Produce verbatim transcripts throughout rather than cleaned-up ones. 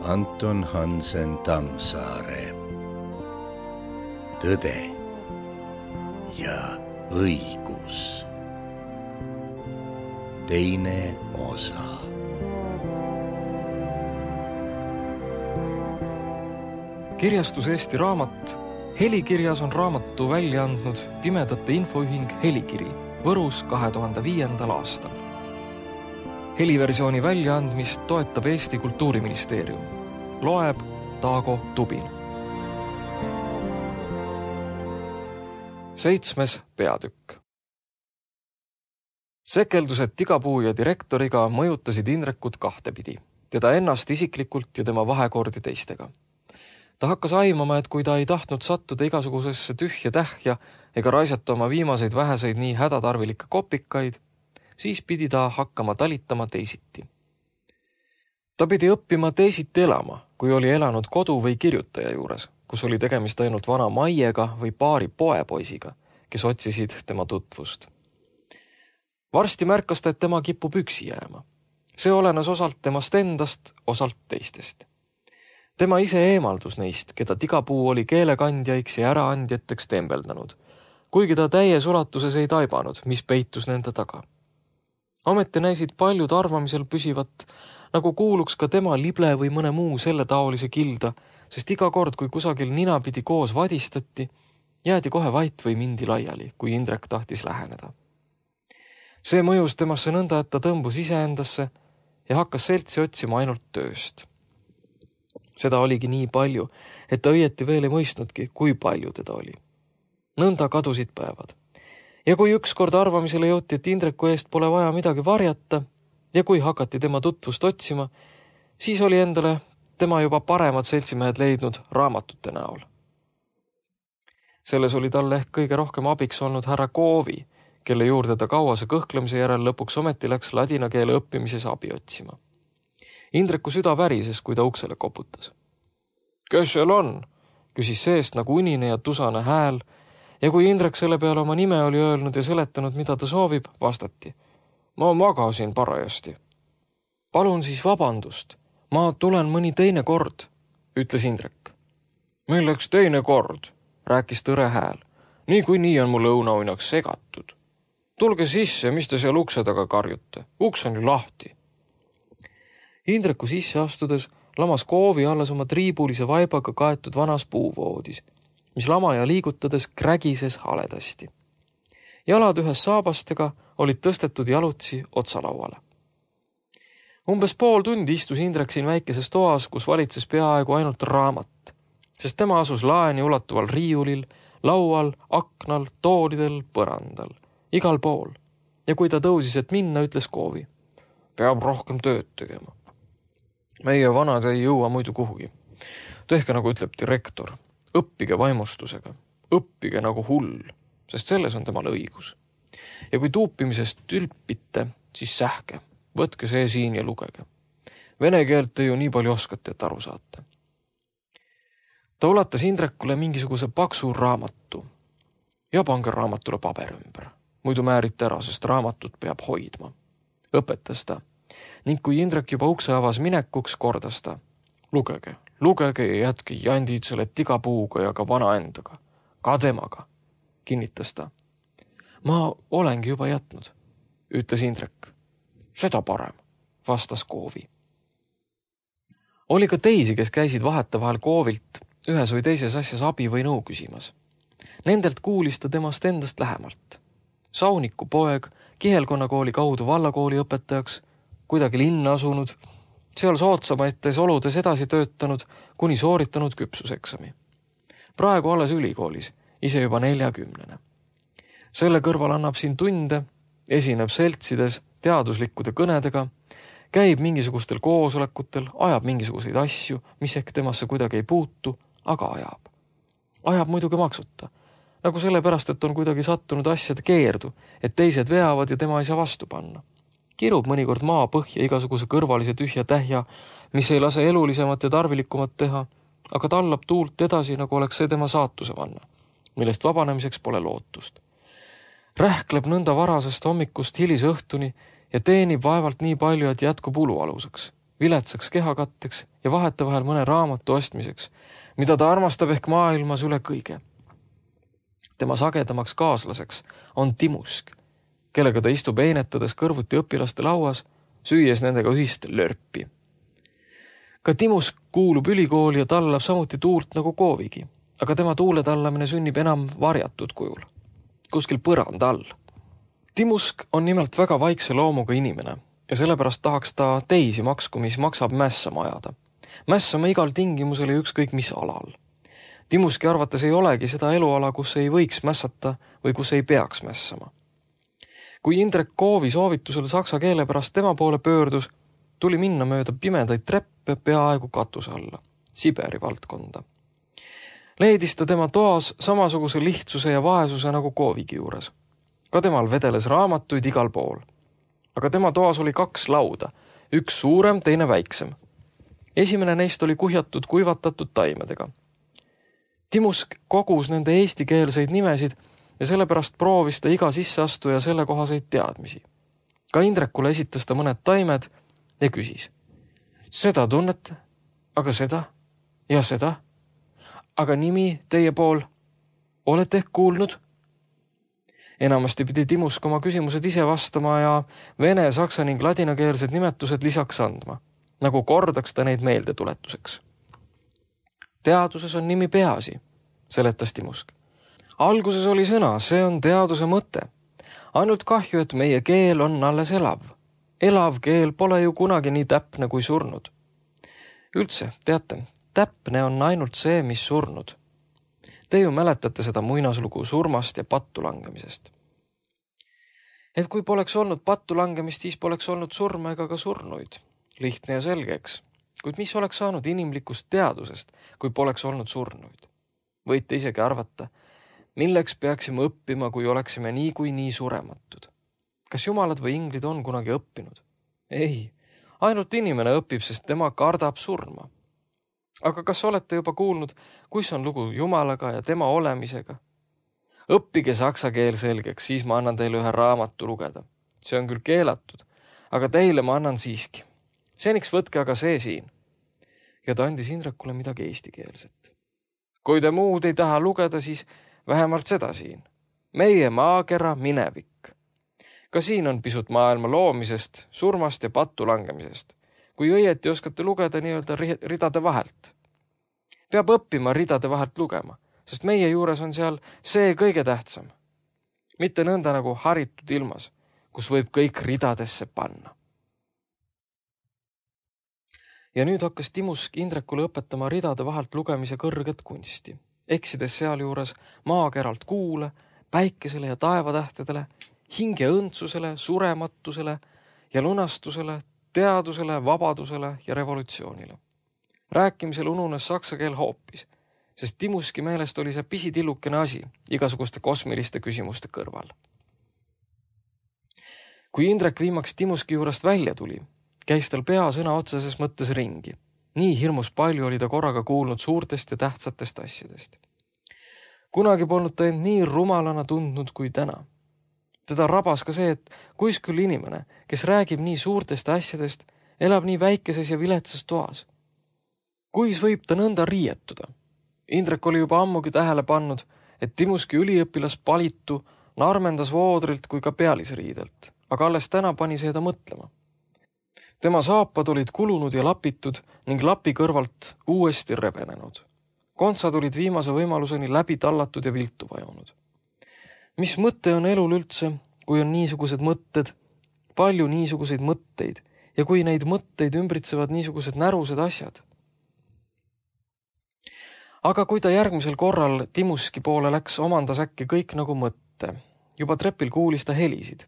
Anton Hansen Tammsaare. Tõde ja õigus. Teine osa. Kirjastus Eesti Raamat. Helikirjas on raamatu välja andnud Pimedate Infoühing Helikiri Võrus kahe tuhande viiendal aastal. Heliversiooni väljaandmist toetab Eesti Kultuuriministeerium. Loeb Taago Tubin. Seitsmes peatükk. Sekeldused Tigapuu ja direktoriga mõjutasid Indrekut kahtepidi, teda ennast isiklikult ja tema vahekordi teistega. Ta hakkas aimama, et kui ta ei tahtnud sattuda igasugusesse tühja tähja ega raisata oma viimaseid väheseid nii hädatarvilikke kopikaid, siis pidi ta hakkama talitama teisiti. Ta pidi õppima teisiti elama, kui oli elanud kodu või kirjutaja juures, kus oli tegemist ainult vana Maiega või paari poepoisiga, kes otsisid tema tutvust. Varsti märkas ta, et tema kipub üksi jääma. See olenes osalt temast endast, osalt teistest. Tema ise eemaldus neist, keda Tigapuu oli keelekandjaiks ja äraandjateks tembeldanud, kuigi ta täies ulatuses ei taibanud, mis peitus nende taga. Ometi näisid paljud arvamisel püsivat, nagu kuuluks ka tema lible või mõne muu selle taolise kilda, sest iga kord, kui kusagil ninapidi koos vadistati, jäädi kohe vait või mindi laiali, kui Indrek tahtis läheneda. See mõjus temasse nõnda, et ta tõmbus iseendasse ja hakkas seltsi otsima ainult tööst. Seda oligi nii palju, et ta õieti veel ei mõistnudki, kui palju teda oli. Nõnda kadusid päevad. Ja kui ükskord arvamisele jõuti, et Indreku eest pole vaja midagi varjata ja kui hakati tema tutvust otsima, siis oli endale tema juba paremad seltsimehed leidnud raamatute näol. Selles oli talle ehk kõige rohkem abiks olnud härra Koovi, kelle juurde ta kauase kõhklemise järel lõpuks ometi läks ladina keele õppimises abi otsima. Indreku süda värises, kui ta uksele koputas. Kes seal on? Küsis seest nagu unine ja tusane hääl, ja kui Indrek selle peale oma nime oli öelnud ja seletanud, mida ta soovib, vastati. Ma magasin parajasti. Palun siis vabandust. Ma tulen mõni teine kord, ütles Indrek. Milleks teine kord, rääkis tõre hääl. Nii kui nii on mu lõunauinaks segatud. Tulge sisse, mis te seal ukse taga karjute. Uks on ju lahti. Indreku sisse astudes lamas Koovi alles oma triibulise vaibaga kaetud vanas puuvoodis, mis lamaja liigutades krägises haledasti. Jalad ühes saabastega olid tõstetud jalutsi otsalauale. Umbes pool tundi istus Indrek siin väikeses toas, kus valitses peaaegu ainult raamat, sest tema asus laeni ulatuval riiulil, laual, aknal, toolidel, põrandal, igal pool. Ja kui ta tõusis, et minna, ütles Koovi. Peab rohkem tööd tegema. Meie vanad ei jõua muidu kuhugi. Tehke nagu ütleb direktor. Õppige vaimustusega. Õppige nagu hull, sest selles on temal õigus. Ja kui tuupimisest tülpite, siis sähke. Võtke see siin ja lugege. Vene keelt te ju nii palju oskate, et aru saate. Ta ulatas Indrekule mingisuguse paksu raamatu. Ja pange raamatule paber ümber. Muidu määrite ära, sest raamatut peab hoidma. Õpetas ta. Ning kui Indrek juba ukse avas minekuks, kordas ta. Lugege, lugege ja jätke jandid selle Tigapuuga ja ka vana endaga. Ka temaga, kinnitas ta. Ma olengi juba jätnud, ütles Indrek. Seda parem, vastas Koovi. Oli ka teisi, kes käisid vahetevahel Koovilt ühes või teises asjas abi või nõu küsimas. Nendelt kuulis ta temast endast lähemalt. Sauniku poeg, Kihelkonnakooli kaudu vallakooli õpetajaks, kuidagi linna asunud, seal sootsamaites oludes edasi töötanud, kuni sooritanud küpsuseksami. Praegu alles ülikoolis, ise juba neljakümnene. Selle kõrval annab siin tunde, esineb seltsides teaduslikkude kõnedega, käib mingisugustel koosolekutel, ajab mingisuguseid asju, mis ehk temasse kuidagi ei puutu, aga ajab. Ajab muidugi maksuta, nagu sellepärast, et on kuidagi sattunud asjade keerdu, et teised veavad ja tema ei saa vastu panna. Kirub mõnikord maa põhja igasuguse kõrvalise tühja tähja, mis ei lase elulisemat ja tarvilikumat teha, aga tallab tuult edasi, nagu oleks see tema saatuse vanna, millest vabanemiseks pole lootust. Rähkleb nõnda varasest hommikust hilise õhtuni ja teenib vaevalt nii palju, et jätkub ulualuseks. viletsaks kehakatteks ja vahetevahel mõne raamatu ostmiseks, mida ta armastab ehk maailmas üle kõige. Tema sagedamaks kaaslaseks on Timusk, kellega ta istub einetades kõrvuti õpilaste lauas, süües nendega ühist lörpi. Ka Timusk kuulub ülikooli ja tallab samuti tuult nagu Koovigi, aga tema tuule tallamine sünnib enam varjatud kujul, kuskil põranda all. Timusk on nimelt väga vaikse loomuga inimene ja sellepärast tahaks ta teisi maksku, mis maksab mässama ajada. Mässama igal tingimusel ja ükskõik mis alal. Timuski arvates ei olegi seda eluala, kus ei võiks mässata või kus ei peaks mässama. Kui Indrek Koovi soovitusel saksa keele pärast tema poole pöördus, tuli minna mööda pimedaid treppe peaaegu katuse alla, Siberi valdkonda. Leidis ta tema toas samasuguse lihtsuse ja vaesuse nagu Koovigi juures. Ka temal vedeles raamatuid igal pool. Aga tema toas oli kaks lauda, üks suurem, teine väiksem. Esimene neist oli kuhjatud kuivatatud taimedega. Timusk kogus nende eestikeelseid nimesid ja sellepärast proovis ta iga sisseastuja selle kohaseid teadmisi. Ka Indrekule esitas ta mõned taimed ja küsis. Seda tunnete? Aga seda? Ja seda? Aga nimi teie pool? Olete ehk kuulnud? Enamasti pidi Timusk oma küsimused ise vastama ja vene, saksa ning ladinakeelsed nimetused lisaks andma, nagu kordaks ta neid meeldetuletuseks. Teaduses on nimi peaasi, seletas Timusk. Alguses oli sõna, see on teaduse mõte. Ainult kahju, et meie keel on alles elav. Elav keel pole ju kunagi nii täpne kui surnud. Üldse, teate, täpne on ainult see, mis surnud. Te ju mäletate seda muinaslugu surmast ja pattu langemisest. Et kui poleks olnud pattu langemist, siis poleks olnud surma ega ka surnuid. Lihtne ja selgeks. Kuid mis oleks saanud inimlikust teadusest, kui poleks olnud surnuid? Võite isegi arvata, milleks peaksime õppima, kui oleksime nii kui nii surematud. Kas jumalad või inglid on kunagi õppinud? Ei, ainult inimene õpib, sest tema kardab surma. Aga kas olete juba kuulnud, kus on lugu Jumalaga ja tema olemisega? Õppige saksa keel selgeks, siis ma annan teile ühe raamatu lugeda. See on küll keelatud, aga teile ma annan siiski. Seniks võtke aga see siin. Ja ta andis Indrekule midagi eestikeelset. Kui te muud ei taha lugeda, siis vähemalt seda siin. Meie maakera minevik. Ka siin on pisut maailma loomisest, surmast ja pattu langemisest. Kui õieti oskate lugeda nii-öelda ridade vahelt. Peab õppima ridade vahelt lugema, sest meie juures on seal see kõige tähtsam. Mitte nõnda nagu haritud ilmas, kus võib kõik ridadesse panna. Ja nüüd hakkas Timusk Indrekule õpetama ridade vahelt lugemise kõrget kunsti, eksides sealjuures maakeralt kuule, päikesele ja taevatähtedele, hinge õndsusele, surematusele ja lunastusele, teadusele, vabadusele ja revolutsioonile. Rääkimisel ununes saksa keel hoopis, sest Timuski meelest oli see pisitillukene asi igasuguste kosmiliste küsimuste kõrval. Kui Indrek viimaks Timuski juurest välja tuli, käis tal pea sõna otseses mõttes ringi. Nii hirmus palju oli ta korraga kuulnud suurtest ja tähtsatest asjadest. Kunagi polnud ta end nii rumalana tundnud kui täna. Teda rabas ka see, et kuis küll inimene, kes räägib nii suurtest asjadest, elab nii väikeses ja viletsas toas. Kuis võib ta nõnda riietuda? Indrek oli juba ammugi tähele pannud, et Timuski üliõpilas palitu narmendas voodrilt kui ka pealisriidelt, aga alles täna pani seda mõtlema. Tema saapad olid kulunud ja lapitud ning lapi kõrvalt uuesti rebenenud. Kontsad olid viimase võimaluseni läbi tallatud ja viltu vajunud. Mis mõte on elul üldse, kui on niisugused mõtted, palju niisuguseid mõtteid ja kui neid mõtteid ümbritsevad niisugused närused asjad? Aga kui ta järgmisel korral Timuski poole läks, omandas äkki kõik nagu mõtte. Juba trepil kuulis ta helisid.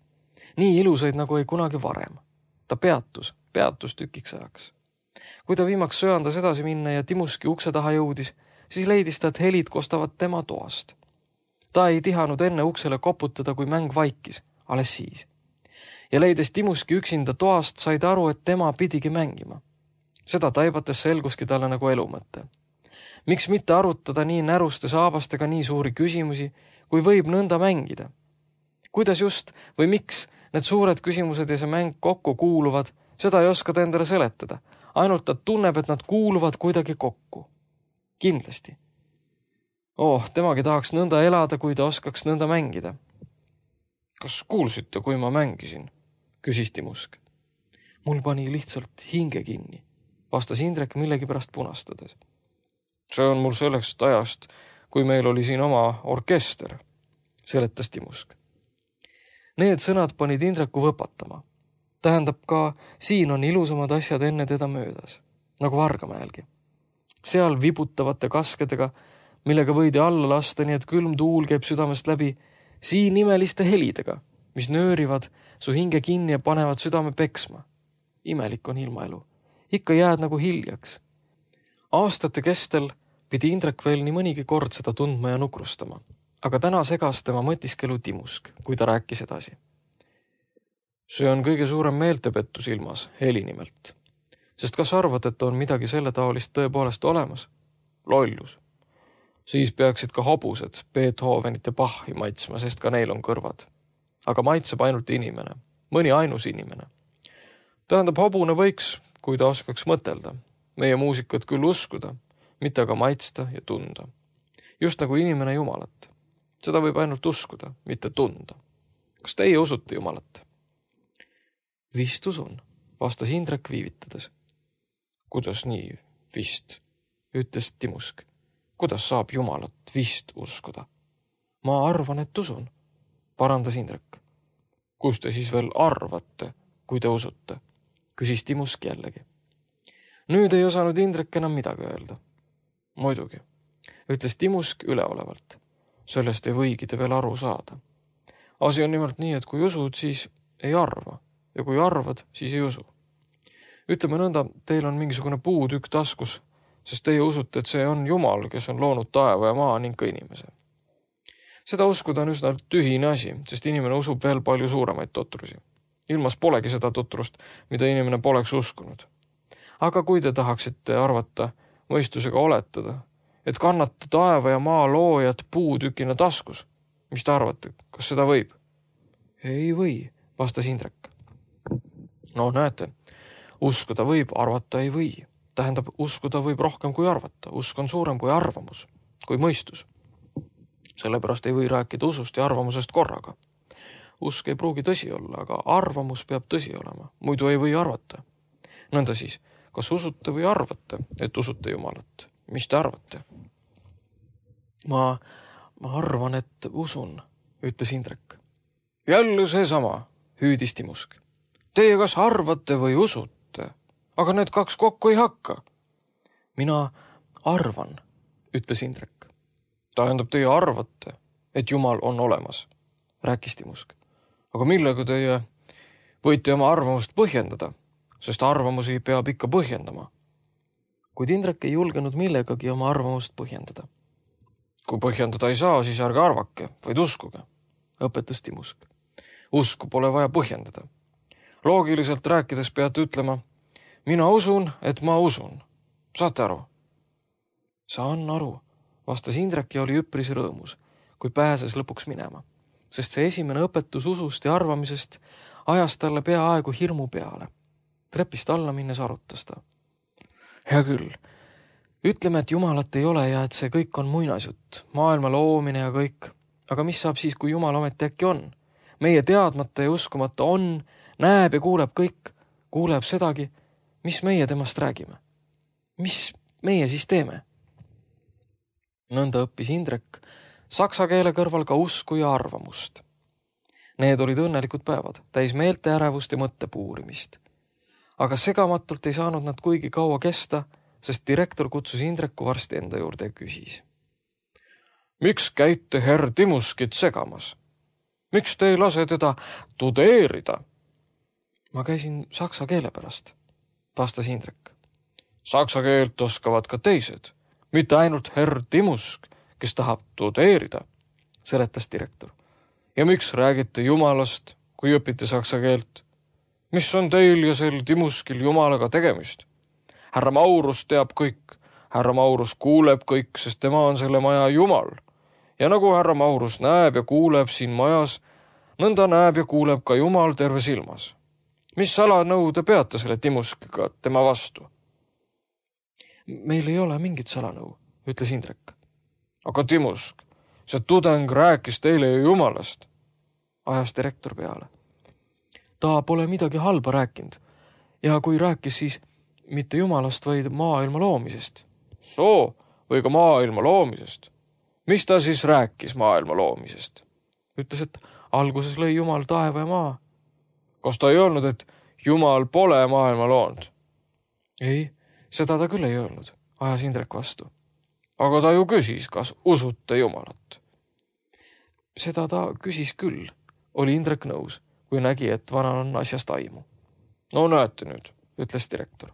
Nii ilusaid nagu ei kunagi varem. Ta peatus, peatus tükiks ajaks. Kui ta viimaks söandas edasi minna ja Timuski ukse taha jõudis, siis leidis ta, et helid kostavad tema toast. Ta ei tihanud enne uksele koputada, kui mäng vaikis, alles siis. Ja leides Timuski üksinda toast, sai ta aru, et tema pidigi mängima. Seda taibates selguski talle nagu elumõte. Miks mitte arutada nii näruste saabastega nii suuri küsimusi, kui võib nõnda mängida? Kuidas just või miks need suured küsimused ja see mäng kokku kuuluvad, seda ei oska ta endale seletada. ainult ta tunneb, et nad kuuluvad kuidagi kokku. Kindlasti. Oh, temagi tahaks nõnda elada, kui ta oskaks nõnda mängida. Kas kuulsite, kui ma mängisin? Küsis Timusk. Mul pani lihtsalt hinge kinni, vastas Indrek millegi pärast punastades. See on mul selleks ajast, kui meil oli siin oma orkester, seletas Timusk. Need sõnad panid Indreku võpatama. Tähendab ka, siin on ilusamad asjad enne teda möödas, nagu Vargamäelgi. Seal vibutavate kaskedega, millega võidi alla lasta, nii et külm tuul käib südamest läbi, siin imeliste helidega, mis nöörivad su hinge kinni ja panevad südame peksma. Imelik on ilmaelu. Ikka jääd nagu hiljaks. Aastate kestel pidi Indrek veel nii mõnigi kord seda tundma ja nukrustama, aga täna segas tema mõtiskelu Timusk, kui ta rääkis edasi. See on kõige suurem meeltepettus ilmas, heli nimelt. Sest kas arvad, et on midagi selle taolist tõepoolest olemas? Lollus. Siis peaksid ka hobused Beethovenite Bachi maitsma, sest ka neil on kõrvad. Aga maitseb ainult inimene, mõni ainus inimene. Tähendab, hobune võiks, kui ta oskaks mõtelda, meie muusikat küll uskuda, mitte aga maitsta ja tunda. Just nagu inimene Jumalat. Seda võib ainult uskuda, mitte tunda. Kas teie usute Jumalat? Vist usun, vastas Indrek viivitades. Kuidas nii vist, ütles Timusk. Kuidas saab Jumalat vist uskuda? Ma arvan, et usun, parandas Indrek. Kus te siis veel arvate, kui te usute? Küsis Timusk jällegi. Nüüd ei osanud Indrek enam midagi öelda. Muidugi, ütles Timusk üleolevalt. Sellest ei võigi te veel aru saada. Asi on nimelt nii, et kui usud, siis ei arva. Ja kui arvad, siis ei usu. Ütleme nõnda, teil on mingisugune puutükk taskus, sest teie usute, et see on Jumal, kes on loonud taeva ja maa ning ka inimese. Seda uskuda on üsna tühine asi, sest inimene usub veel palju suuremaid totrusi. Ilmas polegi seda totrust, mida inimene poleks uskunud. Aga kui te tahaksite arvata, mõistusega oletada, et kannate taeva ja maa loojat puutükina taskus, mis te arvate, kas seda võib? Ei või, vastas Indrek. No näete, uskuda võib, arvata ei või. Tähendab, uskuda võib rohkem kui arvata. Usk on suurem kui arvamus, kui mõistus. Sellepärast ei või rääkida usust ja arvamusest korraga. Usk ei pruugi tõsi olla, aga arvamus peab tõsi olema. Muidu ei või arvata. Nõnda siis, kas usute või arvate, et usute Jumalat? Mis te arvate? Ma, ma arvan, et usun, ütles Indrek. Jälle seesama, hüüdis Timusk. Teie kas arvate või usute, aga need kaks kokku ei hakka. Mina arvan, ütles Indrek. Tähendab, teie arvate, et Jumal on olemas, rääkis Timusk. Aga millega teie võite oma arvamust põhjendada, sest arvamusi peab ikka põhjendama. Kuid Indrek ei julgenud millegagi oma arvamust põhjendada. Kui põhjendada ei saa, siis ärge arvake, vaid uskuge, õpetas Timusk. Usku pole vaja põhjendada. Loogiliselt rääkides peate ütlema, mina usun, et ma usun. Saate aru? Saan aru, vastas Indrek ja oli üpris rõõmus, kui pääses lõpuks minema, sest see esimene õpetus usust ja arvamisest ajas talle peaaegu hirmu peale. Trepist alla minnes arutas ta. Hea küll, ütleme, et Jumalat ei ole ja et see kõik on muinasjutt, maailma loomine ja kõik. Aga mis saab siis, kui Jumal ometi äkki on? Meie teadmata ja uskumata on, näeb ja kuuleb kõik, kuuleb sedagi, mis meie temast räägime. Mis meie siis teeme? Nõnda õppis Indrek saksa keele kõrval ka usku ja arvamust. Need olid õnnelikud päevad, täis meelte ärevust ja mõttepuurimist. Aga segamatult ei saanud nad kuigi kaua kesta, sest direktor kutsus Indreku varsti enda juurde ja küsis. Miks käite herr Timuskit segamas? Miks te ei lase teda tudeerida? Ma käisin saksa keele pärast, vastas Indrek. Saksa keelt oskavad ka teised, mitte ainult herr Timusk, kes tahab tudeerida, seletas direktor. Ja miks räägite Jumalast, kui õpite saksa keelt? Mis on teil ja sel Timuskil Jumalaga tegemist? Härra Maurus teab kõik. Härra Maurus kuuleb kõik, sest tema on selle maja Jumal. Ja nagu härra Maurus näeb ja kuuleb siin majas, nõnda näeb ja kuuleb ka Jumal terve silmas. Mis salanõu te peate selle Timuskiga tema vastu? Meil ei ole mingit salanõu, ütles Indrek. Aga Timusk, see tudeng rääkis teile ju jumalast, ajas direktor peale. Ta pole midagi halba rääkinud ja kui rääkis, siis mitte jumalast, vaid maailma loomisest. Soo või ka maailma loomisest? Mis ta siis rääkis maailma loomisest? Ütles, et alguses lõi Jumal taeva ja maa. Kas ta ei öelnud, et Jumal pole maailma loonud? Ei, seda ta küll ei öelnud, ajas Indrek vastu. Aga ta ju küsis, kas usute Jumalat. Seda ta küsis küll, oli Indrek nõus, kui nägi, et vanal on asjast aimu. No näete nüüd, ütles direktor.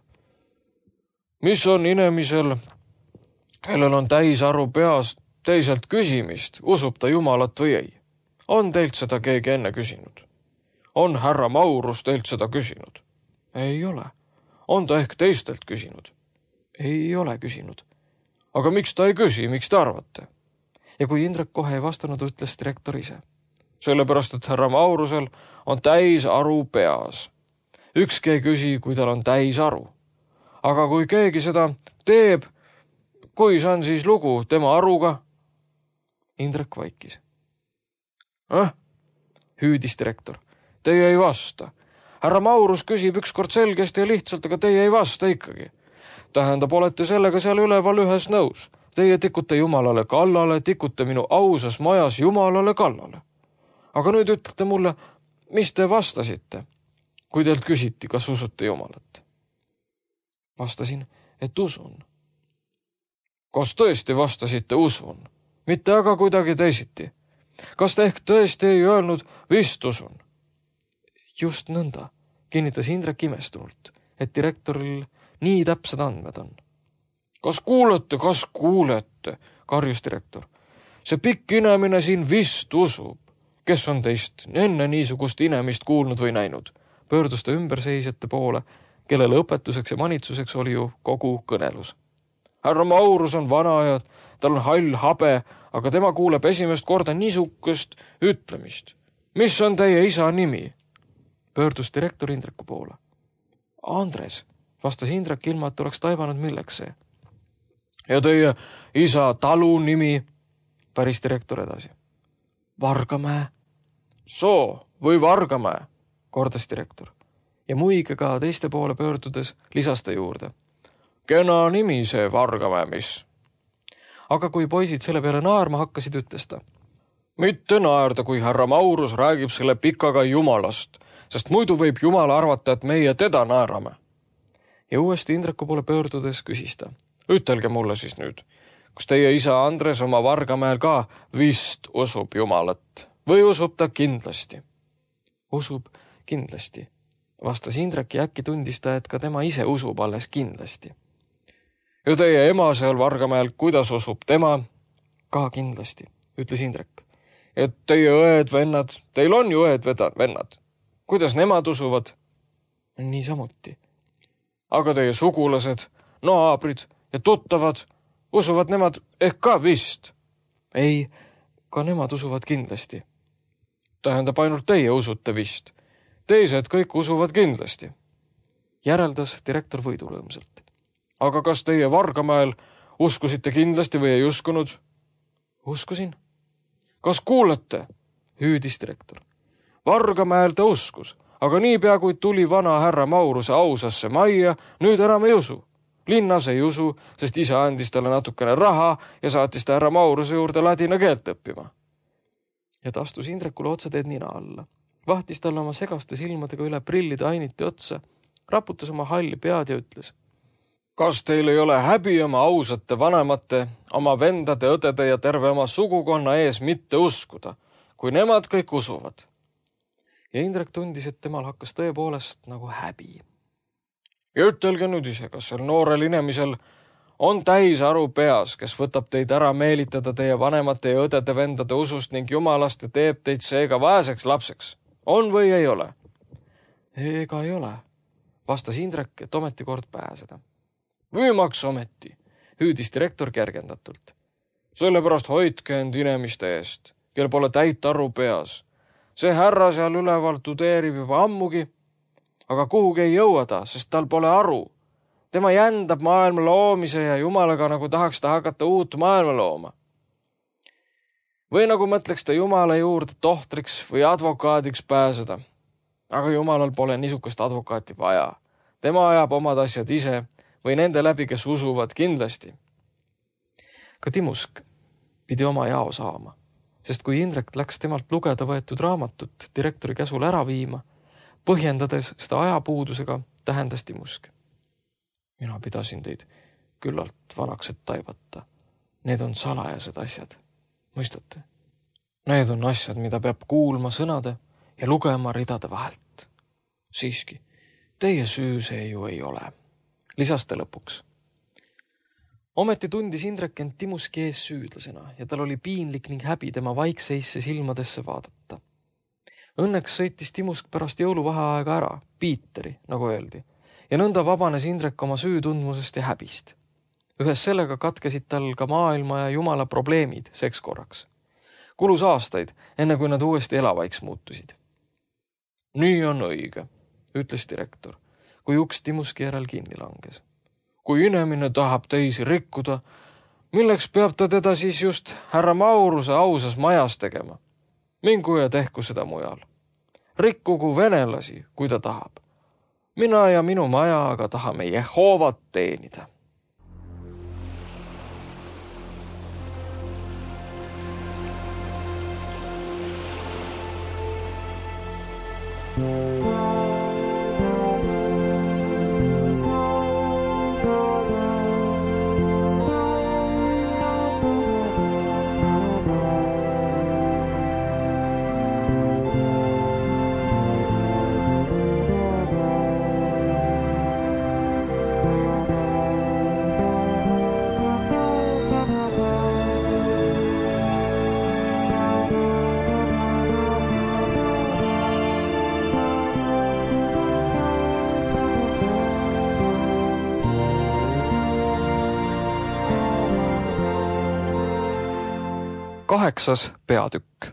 Mis on inimesel, kellel on täisaru peas teiselt küsimist, usub ta Jumalat või ei? On teilt seda keegi enne küsinud? On härra Maurus teilt seda küsinud? Ei ole. On ta ehk teistelt küsinud? Ei ole küsinud. Aga miks ta ei küsi, miks te arvate? Ja kui Indrek kohe ei vastanud, ütles direktor ise. Sellepärast, et härra Maurusel on täis aru peas. Ükski ei küsi, kui tal on täis aru. Aga kui keegi seda teeb, kui see on siis lugu tema aruga? Indrek vaikis. Eh? Hüüdis direktor. Teie ei vasta. Härra Maurus küsib ükskord selgesti ja lihtsalt, aga teie ei vasta ikkagi. Tähendab, olete sellega seal üleval ühes nõus. Teie tikute Jumalale kallale, tikute minu ausas majas Jumalale kallale. Aga nüüd ütlete mulle, mis te vastasite, kui teilt küsiti, kas usute Jumalat? Vastasin, et usun. Kas tõesti vastasite usun? Mitte aga kuidagi teisiti. Kas te ehk tõesti ei öelnud vist usun? Just nõnda, kinnitas Indrek imestunult, et direktoril nii täpsed andmed on. Kas kuulete, kas kuulete, karjus direktor. See pikk inimene siin vist usub. Kes on teist enne niisugust inimest kuulnud või näinud? Pöördus ta ümberseisjate poole, kellele õpetuseks ja manitsuseks oli ju kogu kõnelus. Härra Maurus on vana ja tal on hall habe, aga tema kuuleb esimest korda niisugust ütlemist. Mis on teie isa nimi? Pöördus direktor Indreku poole. Andres, vastas Indrek ilma, et oleks taibanud milleks see. Ja teie isa talu nimi? Päris direktor edasi. Vargamäe. Soo või Vargamäe, kordas direktor. Ja muigega teiste poole pöördudes lisas ta juurde. Kena nimi see Vargamäe, mis? Aga kui poisid selle peale naerma hakkasid, ütles ta. Mitte naerda, kui härra Maurus räägib selle pikaga Jumalast, sest muidu võib Jumal arvata, et meie teda naerame. Ja uuesti Indreku poole pöördudes küsis ta. Ütelge mulle siis nüüd, kas teie isa Andres oma Vargamäel ka vist usub Jumalat või usub ta kindlasti? Usub kindlasti, vastas Indrek ja äkki tundis ta, et ka tema ise usub alles kindlasti. Ja teie ema seal Vargamäel, kuidas usub tema? Ka kindlasti, ütles Indrek. Et teie õed-vennad, teil on ju õed-vennad. Kuidas nemad usuvad? Nii samuti. Aga teie sugulased, naabrid ja tuttavad, usuvad nemad ehk ka vist? Ei, ka nemad usuvad kindlasti. Tähendab, ainult teie usute vist. Teised kõik usuvad kindlasti. Järeldas direktor võidurõõmsalt. Aga kas teie Vargamäel uskusite kindlasti või ei uskunud? Uskusin. Kas kuulete? Hüüdis direktor. Vargamäel ta uskus, aga niipea kui tuli vana härra Mauruse ausasse majja, nüüd enam ei usu. Linnas ei usu, sest isa andis talle natukene raha ja saatis ta härra Mauruse juurde ladina keelt õppima. Ja ta astus Indrekule otsateed nina alla. Vahtis talle oma segaste silmadega üle prillide ainiti otsa, raputas oma halli pead ja ütles. Kas teil ei ole häbi oma ausate vanemate, oma vendade, õdede ja terve oma sugukonna ees mitte uskuda, kui nemad kõik usuvad? Ja Indrek tundis, et temal hakkas tõepoolest nagu häbi. Ja ütelge nüüd ise, kas sel noorel inimesel on täis aru peas, kes võtab teid ära meelitada teie vanemate ja õdede vendade usust ning Jumalast ja teeb teid seega vaeseks lapseks. On või ei ole? Ega ei ole, vastas Indrek, et ometi kord pääseda. Võimaks ometi, hüüdis direktor kergendatult. Sellepärast hoidke end inimeste eest, kel pole täit aru peas. See härra seal üleval tudeerib juba ammugi, aga kuhugi ei jõua ta, sest tal pole aru. Tema jändab maailma loomise ja Jumalaga nagu tahaks ta hakata uut maailma looma. Või nagu mõtleks ta Jumala juurde tohtriks või advokaadiks pääseda. Aga Jumalal pole niisugust advokaati vaja. Tema ajab omad asjad ise või nende läbi, kes usuvad kindlasti. Ka Timusk pidi oma jao saama, sest kui Indrek läks temalt lugeda võetud raamatut direktori käsul ära viima, põhjendades seda ajapuudusega, tähendas Timusk. Mina pidasin teid küllalt vanaks, et taibata. Need on salajased asjad. Mõistate? Need on asjad, mida peab kuulma sõnade ja lugema ridade vahelt. Siiski, teie süü see ju ei ole. Lisas ta lõpuks. Ometi tundis Indrek end Timuski ees süüdlasena ja tal oli piinlik ning häbi tema vaikseisse silmadesse vaadata. Õnneks sõitis Timusk pärast jõuluvaheaega ära, Piiteri, nagu öeldi, ja nõnda vabanes Indrek oma süütundmusest ja häbist. Ühes sellega katkesid tal ka maailma ja Jumala probleemid seks korraks. Kulus aastaid, enne kui nad uuesti elavaiks muutusid. Nii on õige, ütles direktor, kui uks Timuski järel kinni langes. Kui inimene tahab teisi rikkuda, milleks peab ta teda siis just härra Mauruse ausas majas tegema? Mingu ja tehku seda mujal. Rikkugu venelasi, kui ta tahab. Mina ja minu maja aga tahame Jehoovat teenida. Kaheksas peatükk.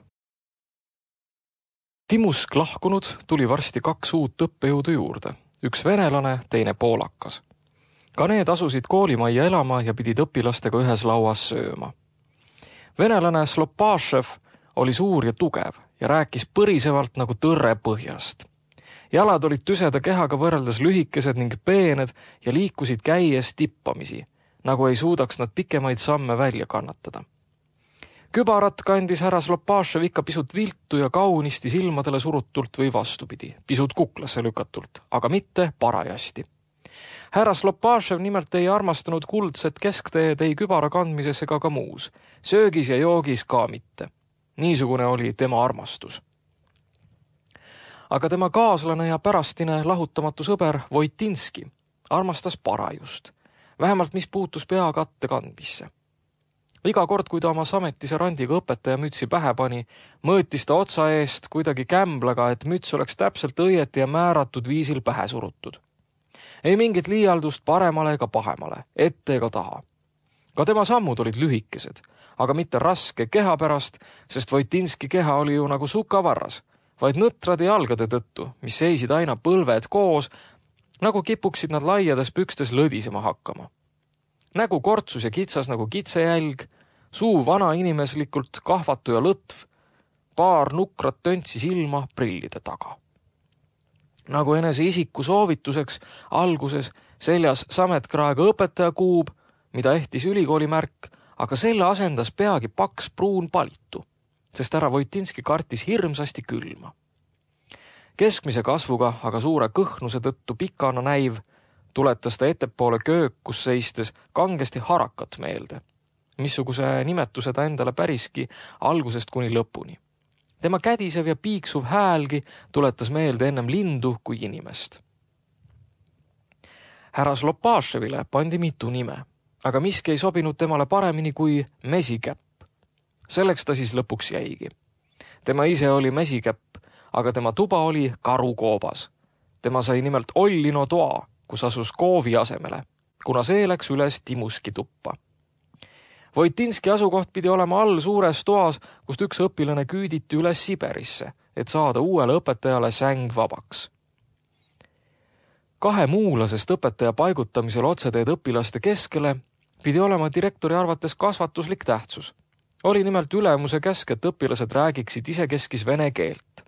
Timusk lahkunud tuli varsti kaks uut õppejõudu juurde, üks venelane, teine poolakas. Ka need asusid koolimajja elama ja pidid õpilastega ühes lauas sööma. Venelane Slopašev oli suur ja tugev ja rääkis põrisevalt nagu tõrre põhjast. Jalad olid tüseda kehaga võrreldes lühikesed ning peened ja liikusid käies tippamisi, nagu ei suudaks nad pikemaid samme välja kannatada. Kübarat kandis härra Slopašev ikka pisut viltu ja kaunisti silmadele surutult või vastupidi, pisut kuklasse lükatult, aga mitte parajasti. Härra Slopašev nimelt ei armastanud kuldset keskteed ei kübara kandmises ega ka muus, söögis ja joogis ka mitte. Niisugune oli tema armastus. Aga tema kaaslane ja pärastine lahutamatu sõber Voitinski armastas parajust, vähemalt mis puutus peakatte kandmisse. Iga kord, kui ta oma sametise randiga õpetaja mütsi pähe pani, mõõtis ta otsa eest kuidagi kämblaga, et müts oleks täpselt õieti ja määratud viisil pähe surutud. Ei mingit liialdust paremale ega pahemale, ette ega taha. Ka tema sammud olid lühikesed, aga mitte raske keha pärast, sest Voitinski keha oli ju nagu sukavarras, vaid nõtrade jalgade tõttu, mis seisid aina põlved koos, nagu kipuksid nad laiades pükstes lõdisema hakkama. Nägu kortsus ja kitsas nagu kitsejälg, suu vana inimeslikult kahvatu ja lõtv, paar nukrat töntsi silma prillide taga. Nagu enese isiku soovituseks alguses seljas sametkraega õpetaja kuub, mida ehtis ülikooli märk, aga selle asendas peagi paks pruun palitu, sest härra Voitinski kartis hirmsasti külma. Keskmise kasvuga, aga suure kõhnuse tõttu pikana näiv, tuletas ta ettepoole köökus seistes kangesti harakat meelde, missuguse nimetuse ta endale päriski algusest kuni lõpuni. Tema kädisev ja piiksuv häälgi tuletas meelde ennem lindu kui inimest. Härra Slopaševile pandi mitu nime, aga miski ei sobinud temale paremini kui mesikäpp. Selleks ta siis lõpuks jäigi. Tema ise oli mesikäpp, aga tema tuba oli karukoobas. Tema sai nimelt Ollino toa, kus asus koovi asemele, kuna see läks üles Timuski tuppa. Voitinski asukoht pidi olema all suures toas, kust üks õpilane küüditi üles Siberisse, et saada uuele õpetajale säng vabaks. kahe muulasest õpetaja paigutamisel otseteed õpilaste keskele pidi olema direktori arvates kasvatuslik tähtsus. Oli nimelt ülemuse käsk, et õpilased räägiksid isekeskis vene keelt.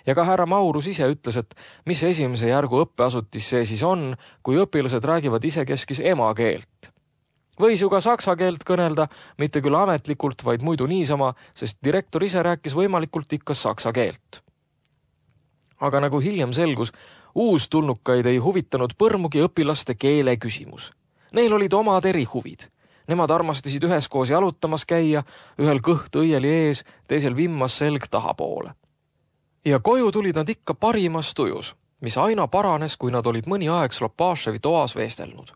Ja ka härra Maurus ise ütles, et mis esimese järgu õppeasutis see siis on, kui õpilased räägivad isekeskis ema keelt. Võis ju ka saksa keelt kõnelda, mitte küll ametlikult, vaid muidu niisama, sest direktor ise rääkis võimalikult ikka saksa keelt. Aga nagu hiljem selgus, uustulnukaid ei huvitanud põrmugi õpilaste keele küsimus. Neil olid omad erihuvid. Nemad armastasid üheskoos jalutamas käia, ühel kõht õieli ees, teisel vimmas selg tahapoole. Ja koju tulid nad ikka parimas tujus, mis aina paranes, kui nad olid mõni aeg Slopashevi toas veestelnud.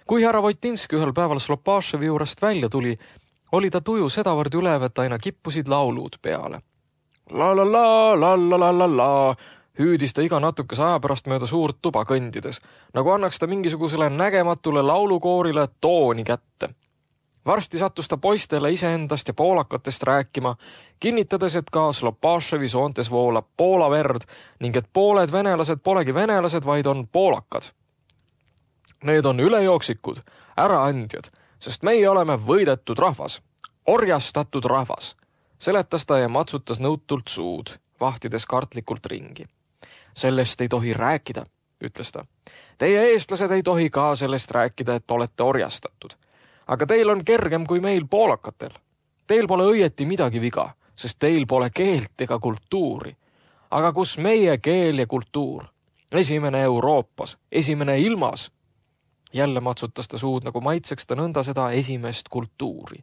Kui härra Voitinski ühel päeval Slopashevi juurest välja tuli, oli ta tuju sedavõrd ülev, et aina kippusid laulud peale. La la la, la la la la la, hüüdis ta iga natukese aja pärast mööda suurt tuba kõndides, nagu annaks ta mingisugusele nägematule laulukoorile tooni kätte. Varsti sattus ta poistele iseendast ja poolakatest rääkima, kinnitades, et ka Slopashevi soontes voolab Poola verd ning et pooled venelased polegi venelased, vaid on poolakad. Need on ülejooksikud, äraandjad, sest meie oleme võidetud rahvas, orjastatud rahvas, seletas ta ja matsutas nõutult suud, vahtides kartlikult ringi. Sellest ei tohi rääkida, ütles ta. Teie eestlased ei tohi ka sellest rääkida, et olete orjastatud. Aga teil on kergem kui meil poolakatel. Teil pole õieti midagi viga, sest teil pole keelt ega kultuuri. Aga kus meie keel ja kultuur? Esimene Euroopas, esimene ilmas. Jälle matsutas ta suud, nagu maitseks ta nõnda seda esimest kultuuri.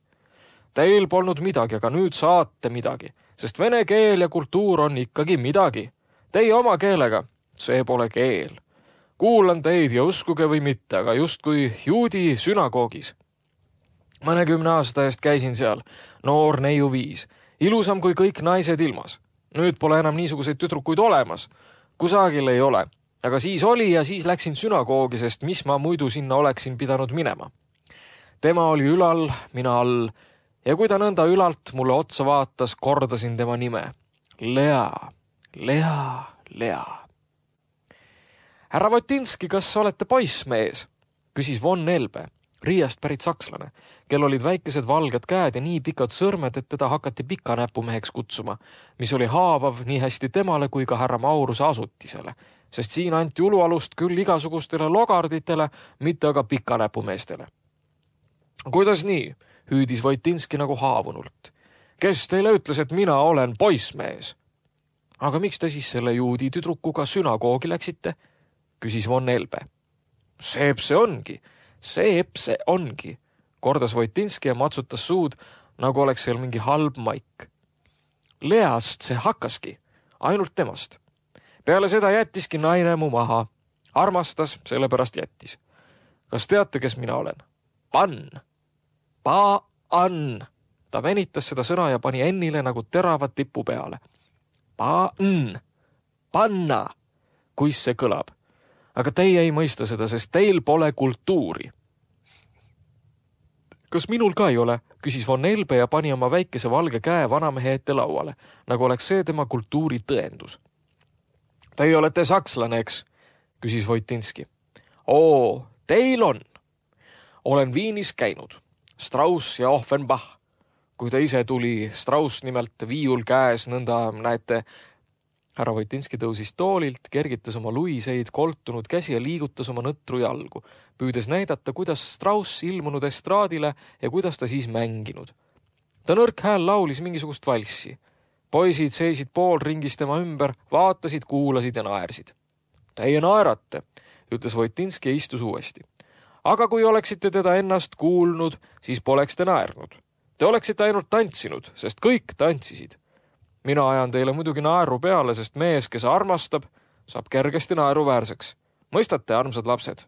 Teil polnud midagi, aga nüüd saate midagi, sest vene keel ja kultuur on ikkagi midagi. Teie oma keelega, see pole keel. Kuulan teid ja uskuge või mitte, aga just kui juudi sünagoogis. Mõnekümne aasta eest käisin seal, noor neiu viis, ilusam kui kõik naised ilmas. Nüüd pole enam niisuguseid tüdrukuid olemas. Kusagil ei ole. Aga siis oli ja siis läksin sünagoogi, sest mis ma muidu sinna oleksin pidanud minema. Tema oli ülal, mina all, ja kui ta nõnda ülalt mulle otsa vaatas, kordasin tema nime. Lea, Lea, Lea. Härra Votinski, kas olete poissmees? Küsis Von Elbe, Riiast pärit sakslane, kel olid väikesed valged käed ja nii pikad sõrmed, et teda hakati pikanäpumeheks kutsuma, mis oli haavav nii hästi temale kui ka härra Mauruse asutisele, sest siin anti ulualust küll igasugustele logarditele, mitte aga pikanäpumeestele. Kuidas nii? Hüüdis Voitinski nagu haavunult. Kes teile ütles, et mina olen poissmees? Aga miks te siis selle juudi tüdrukuga sünagoogi läksite? Küsis Von Elbe. Seep see ongi, seep see ongi, kordas Voitinski ja matsutas suud, nagu oleks seal mingi halb maik. Least see hakkaski, ainult temast. Peale seda jättiski naine mu maha. Armastas, sellepärast jättis. Kas teate, kes mina olen? Pann. Pa-ann. Ta venitas seda sõna ja pani ennile nagu teravad tipu peale. Pa-n. Panna. Kuis see kõlab. Aga teie ei mõista seda, sest teil pole kultuuri. Kas minul ka ei ole? Küsis Von Elbe ja pani oma väikese valge käe vanamehe ette lauale, nagu oleks see tema kultuuri tõendus. Teie olete sakslane, eks? Küsis Voitinski. Oo, teil on. Olen Viinis käinud. Strauss ja Offenbach. Kui ta ise tuli, Strauss nimelt viiul käes, nõnda näete. Härra Voitinski tõusis toolilt, kergitas oma luiseid, koltunud käsi ja liigutas oma nõtru jalgu, püüdes näidata, kuidas Strauss ilmunud estraadile ja kuidas ta siis mänginud. Ta nõrk hääl laulis mingisugust valssi. Poisid seisid pool ringis tema ümber, vaatasid, kuulasid ja naersid. Teie naerate, ütles Voitinski ja istus uuesti. Aga kui oleksite teda ennast kuulnud, siis poleks te naernud. Te oleksite ainult tantsinud, sest kõik tantsisid. Mina ajan teile muidugi naeru peale, sest mees, kes armastab, saab kergesti naeruväärseks. Mõistate, armsad lapsed?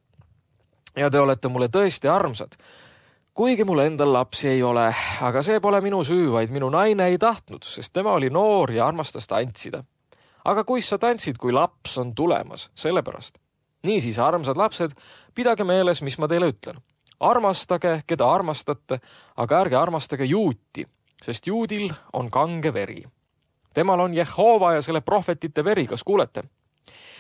Ja te olete mulle tõesti armsad. Kuigi mul endal lapsi ei ole, aga see pole minu süü, vaid minu naine ei tahtnud, sest tema oli noor ja armastas tantsida. Aga kuis sa tantsid, kui laps on tulemas, sellepärast. Niisiis, armsad lapsed, pidage meeles, mis ma teile ütlen. Armastage, keda armastate, aga ärge armastage juuti, sest juudil on kange veri. Temal on Jehova ja selle prohvetite veri, kas kuulete?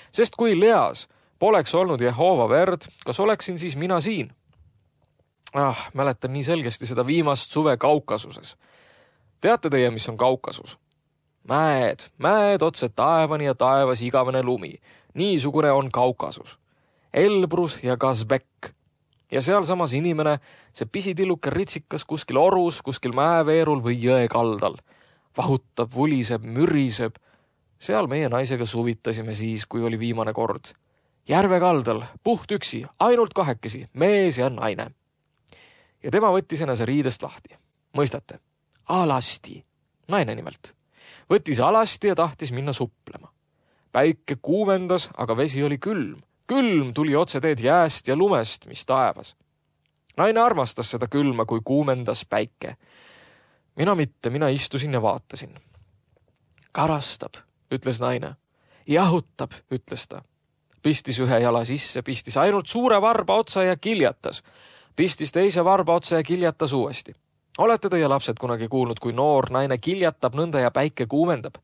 Sest kui Leas, Poleks olnud Jehova verd, kas oleksin siis mina siin? Ah, mäletan nii selgesti seda viimast suve Kaukasuses. Teate teie, mis on Kaukasus? Mäed, mäed otse taevani ja taevas igavene lumi. Niisugune on Kaukasus. Elbrus ja Kazbek. Ja sealsamas inimene, see pisitilluke ritsikas kuskil orus, kuskil mäeveerul või jõe kaldal. Vahutab, vuliseb, müriseb. Seal meie naisega suvitasime siis, kui oli viimane kord. Järve kaldal, puht üksi, ainult kahekesi, mees ja naine. Ja tema võttis ennase riidest lahti. Mõistate? Alasti. Naine nimelt. Võttis alasti ja tahtis minna suplema. Päike kuumendas, aga vesi oli külm. Külm tuli otse teed jääst ja lumest, mis taevas. Naine armastas seda külma, kui kuumendas päike. Mina mitte, mina istusin ja vaatasin. Karastab, ütles naine. Jahutab, ütles ta. Pistis ühe jala sisse, pistis ainult suure varba otsa ja kiljatas. Pistis teise varba otsa ja kiljatas uuesti. Olete teie lapsed kunagi kuulnud, kui noor naine kiljatab nõnda ja päike kuumendab?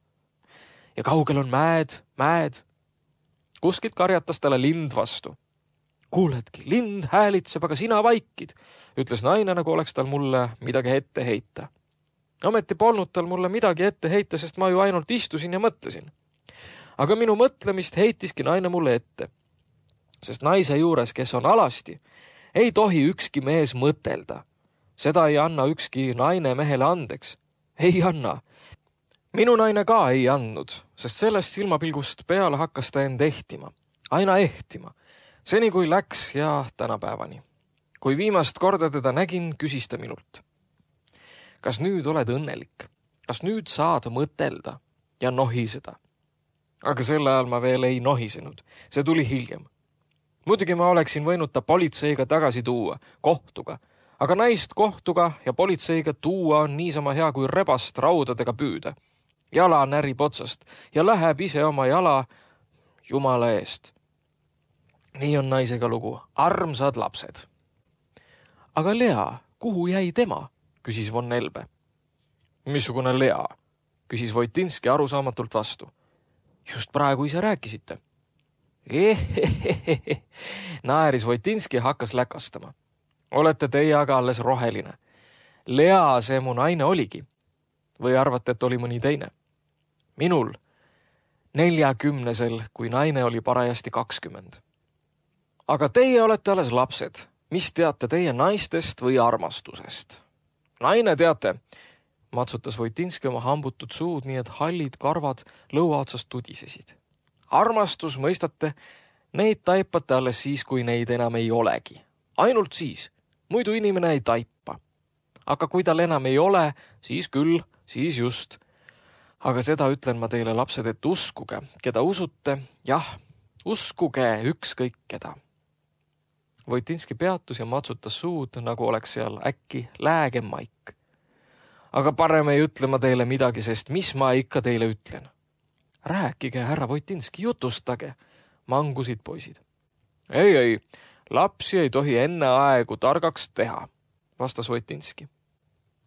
Ja kaugel on mäed, mäed. Kuskilt karjatas talle lind vastu. Kuuledki, lind häälitseb, aga sina vaikid, ütles naine, nagu oleks tal mulle midagi ette heita. Ometi polnud tal mulle midagi ette heita, sest ma ju ainult istusin ja mõtlesin. Aga minu mõtlemist heitiski naine mulle ette. Sest naise juures, kes on alasti, ei tohi ükski mees mõtelda. Seda ei anna ükski naine mehele andeks. Ei anna. Minu naine ka ei andnud, sest sellest silmapilgust peale hakkas ta end ehtima. Aina ehtima. Seni kui läks ja tänapäevani. Kui viimast korda teda nägin, küsis ta minult. Kas nüüd oled õnnelik? Kas nüüd saad mõtelda ja nohiseda? Aga selle ajal ma veel ei nohisenud. See tuli hiljem. Muidugi ma oleksin võinud ta politseiga tagasi tuua, kohtuga. Aga naist kohtuga ja politseiga tuua on niisama hea kui rebast raudadega püüda. Jala närib otsast ja läheb ise oma jala Jumala eest. Nii on naisega lugu. Armsad lapsed. Aga Lea, kuhu jäi tema? Küsis von Elbe. Missugune Lea? Küsis Voitinski arusaamatult vastu. Just praegu ise rääkisite. Ehehehehe, naeris Voitinski ja hakkas läkastama. Olete teie aga alles roheline. Lea see mu naine oligi. Või arvate, et oli mõni teine? Minul neljakümnesel, kui naine oli parajasti kakskümmend. Aga teie olete alles lapsed. Mis teate teie naistest või armastusest? Naine teate, matsutas Voitinski oma hambutud suud, nii et hallid karvad lõua otsast tudisesid. Armastus, mõistate, neid taipate alles siis, kui neid enam ei olegi. Ainult siis. Muidu inimene ei taipa. Aga kui tal enam ei ole, siis küll, siis just. Aga seda ütlen ma teile, lapsed, et uskuge, keda usute. Jah, uskuge ükskõik keda. Voitinski peatus ja matsutas suud, nagu oleks seal äkki lääge maik. Aga parem ei ütle ma teile midagi, sest mis ma ikka teile ütlen? Rääkige, härra Voitinski, jutustage, mangusid poisid. Ei, ei, lapsi ei tohi enne aegu targaks teha, vastas Voitinski.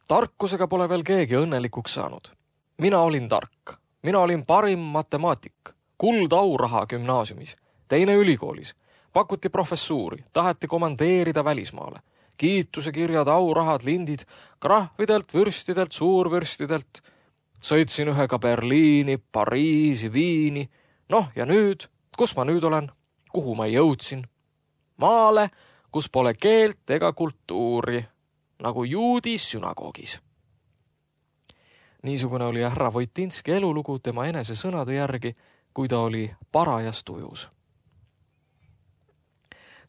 Tarkusega pole veel keegi õnnelikuks saanud. Mina olin tark. Mina olin parim matemaatik. Kuld auraha gümnaasiumis. Teine ülikoolis. Pakuti professuuri. Taheti komandeerida välismaale. Kiituse kirjad, aurahad, lindid. Krahvidelt, vürstidelt, suurvürstidelt. Sõitsin ühega Berliini, Pariisi, Viini. Noh, ja nüüd? Kus ma nüüd olen? Kuhu ma jõudsin? Maale, kus pole keelt ega kultuuri. Nagu juudi sünagoogis. Niisugune oli härra Voitinski elulugu tema enese sõnade järgi, kui ta oli parajas tujus.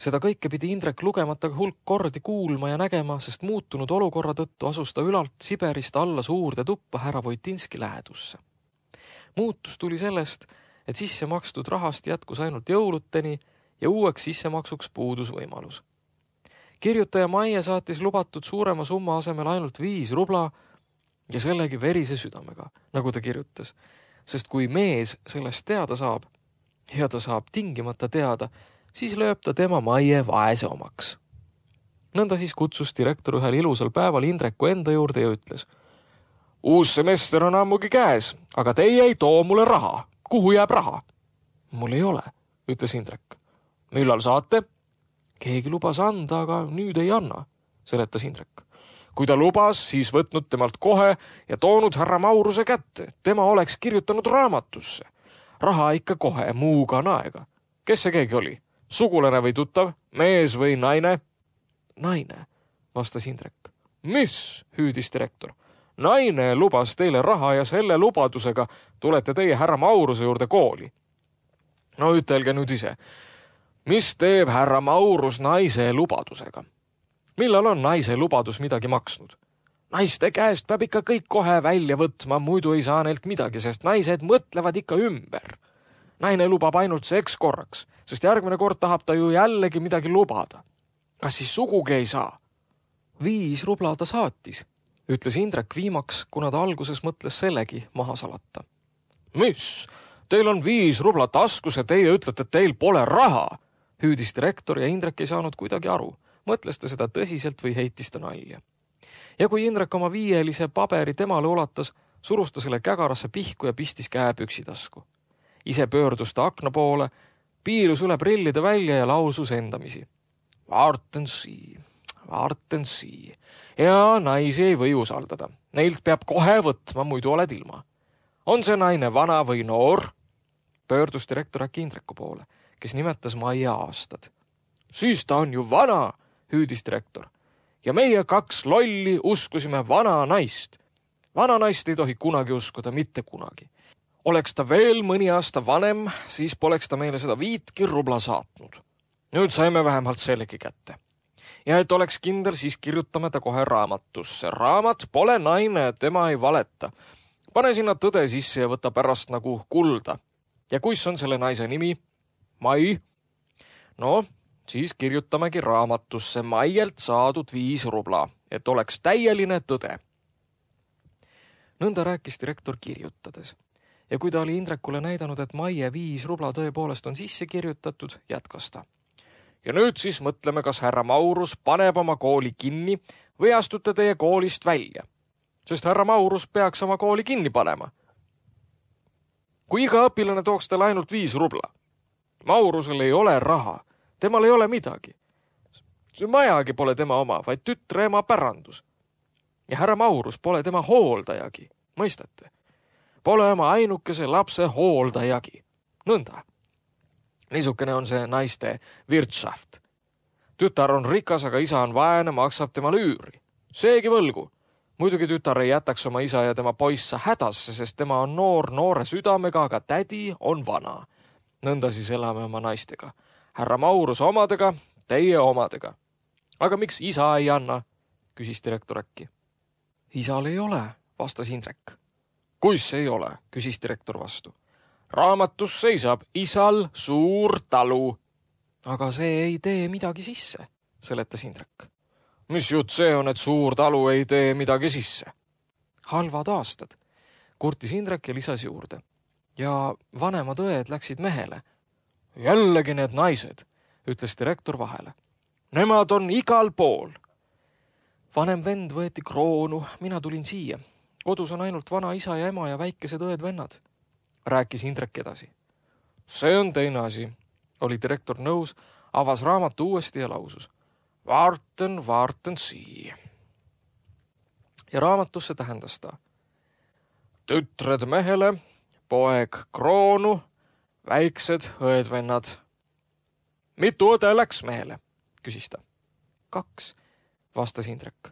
Seda kõike pidi Indrek lugemata hulk kordi kuulma ja nägema, sest muutunud olukorra tõttu asus ta ülalt Siberist alla suurde tuppa härra Voitinski lähedusse. Muutus tuli sellest, et sisse makstud rahast jätkus ainult jõuluteni ja uueks sissemaksuks puudus võimalus. Kirjutaja Maie saatis lubatud suurema summa asemel ainult viis rubla ja sellegi verise südamega, nagu ta kirjutas, sest kui mees sellest teada saab ja ta saab tingimata teada, siis lööb ta tema Maie vaese omaks. Nõnda siis kutsus direktor ühel ilusal päeval Indreku enda juurde ja ütles: Uus semester on ammugi käes, aga teie ei too mulle raha. Kuhu jääb raha? Mul ei ole, ütles Indrek. millal saate? Keegi lubas anda, aga nüüd ei anna, seletas Indrek. Kui ta lubas, siis võtnud temalt kohe ja toonud härra Mauruse kätte. Tema oleks kirjutanud raamatusse. Raha ikka kohe, muuga naega. Kes see keegi oli? Sugulane või tuttav? Mees või naine? Naine, vastas Indrek. Mis? Hüüdis direktor. Naine lubas teile raha ja selle lubadusega tulete teie härra Mauruse juurde kooli. No ütelge nüüd ise. Mis teeb härra Maurus naise lubadusega? Millal on naise lubadus midagi maksnud? Naiste käest peab ikka kõik kohe välja võtma, muidu ei saa neilt midagi, sest naised mõtlevad ikka ümber. Naine lubab ainult seks korraks, sest järgmine kord tahab ta ju jällegi midagi lubada. Kas siis sugugi ei saa? Viis rubla ta saatis, ütles Indrek viimaks, kuna ta alguses mõtles sellegi maha salata. Mis? Teil on viis rubla taskus ja teie ütlete, et teil pole raha, hüüdis direktor ja Indrek ei saanud kuidagi aru. Mõtles ta seda tõsiselt või heitis ta nalja. Ja kui Indrek oma viielise paberi temale ulatas, surus ta selle kägarasse pihku ja pistis käe püksitasku. Ise pöördus ta akna poole, piilus üle prillide välja ja lausus endamisi. Vaarten sii, vaarten sii. Ja naisi ei või usaldada. Neilt peab kohe võtma, muidu oled ilma. On see naine vana või noor? Pöördus direktor äkki Indreku poole, kes nimetas Maia aastad. Siis ta on ju vana, hüüdis direktor. Ja meie kaks lolli uskusime vana naist. Vana naist ei tohi kunagi uskuda, mitte kunagi. Oleks ta veel mõni aasta vanem, siis poleks ta meile seda viitki rubla saatnud. Nüüd saime vähemalt sellegi kätte. Ja et oleks kindel, siis kirjutame ta kohe raamatusse. Raamat pole naine, tema ei valeta. Pane sinna tõde sisse ja võta pärast nagu kulda. Ja kuis on selle naise nimi? Mai. No, siis kirjutamegi raamatusse Maielt saadud viis rubla, et oleks täieline tõde. Nõnda rääkis direktor kirjutades. Ja kui ta oli Indrekule näidanud, et Maie viis rubla tõepoolest on sisse kirjutatud, jätkas ta. Ja nüüd siis mõtleme, kas härra Maurus paneb oma kooli kinni või astute teie koolist välja. Sest härra Maurus peaks oma kooli kinni panema. Kui iga õpilane tooks talle ainult viis rubla. Maurusel ei ole raha. Temal ei ole midagi. See majagi pole tema oma, vaid tütre ema pärandus. Ja härra Maurus pole tema hooldajagi. Mõistate? Pole oma ainukese lapse hooldajagi. Nõnda. Niisukene on see naiste wirtschaft. Tütar on rikas, aga isa on vaene, maksab tema lüüri. Seegi võlgu. Muidugi tütar ei jätaks oma isa ja tema poissa hädasse, sest tema on noor noore südamega, aga tädi on vana. Nõnda siis elame oma naistega. Härra Maurus omadega, teie omadega. Aga miks isa ei anna? Küsis direktor äkki. Isal ei ole, vastas Indrek. Kuis ei ole, küsis direktor vastu. Raamatus seisab isal suur talu. Aga see ei tee midagi sisse, seletas Indrek. Mis jutt see on, et suur talu ei tee midagi sisse? Halvad aastad, kurtis Indrek ja lisas juurde. Ja vanemad õed läksid mehele. Jällegi need naised, ütles direktor vahele. Nemad on igal pool. Vanem vend võeti kroonu, mina tulin siia. Kodus on ainult vana isa ja ema ja väikesed õed-vennad, rääkis Indrek edasi. See on teine asi, oli direktor nõus, avas raamatu uuesti ja lausus. Vaarten, vaarten sii. Ja raamatusse tähendas ta. Tütred mehele, poeg kroonu, väiksed õed-vennad. Mitu õde läks mehele, küsis ta. Kaks, vastas Indrek.